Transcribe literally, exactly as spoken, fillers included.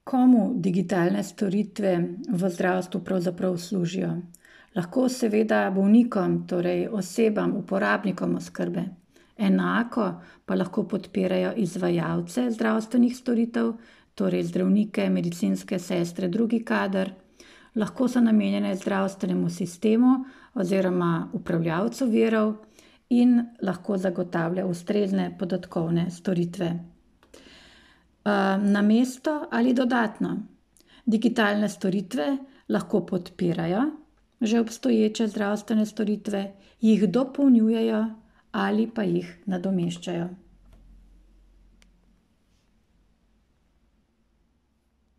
Komu digitalne storitve v zdravstvu pravzaprav služijo? Lahko seveda bolnikom, torej osebam, uporabnikom oskrbe. Enako pa lahko podpirajo izvajalce zdravstvenih storitev, torej zdravnike, medicinske sestre, drugi kader. Lahko so namenjene zdravstvenemu sistemu oziroma upravljavcu virov in lahko zagotavlja ustrezne podatkovne storitve. Namesto ali dodatno. Digitalne storitve lahko podpirajo že obstoječe zdravstvene storitve, jih dopolnjujejo ali pa jih nadomeščajo.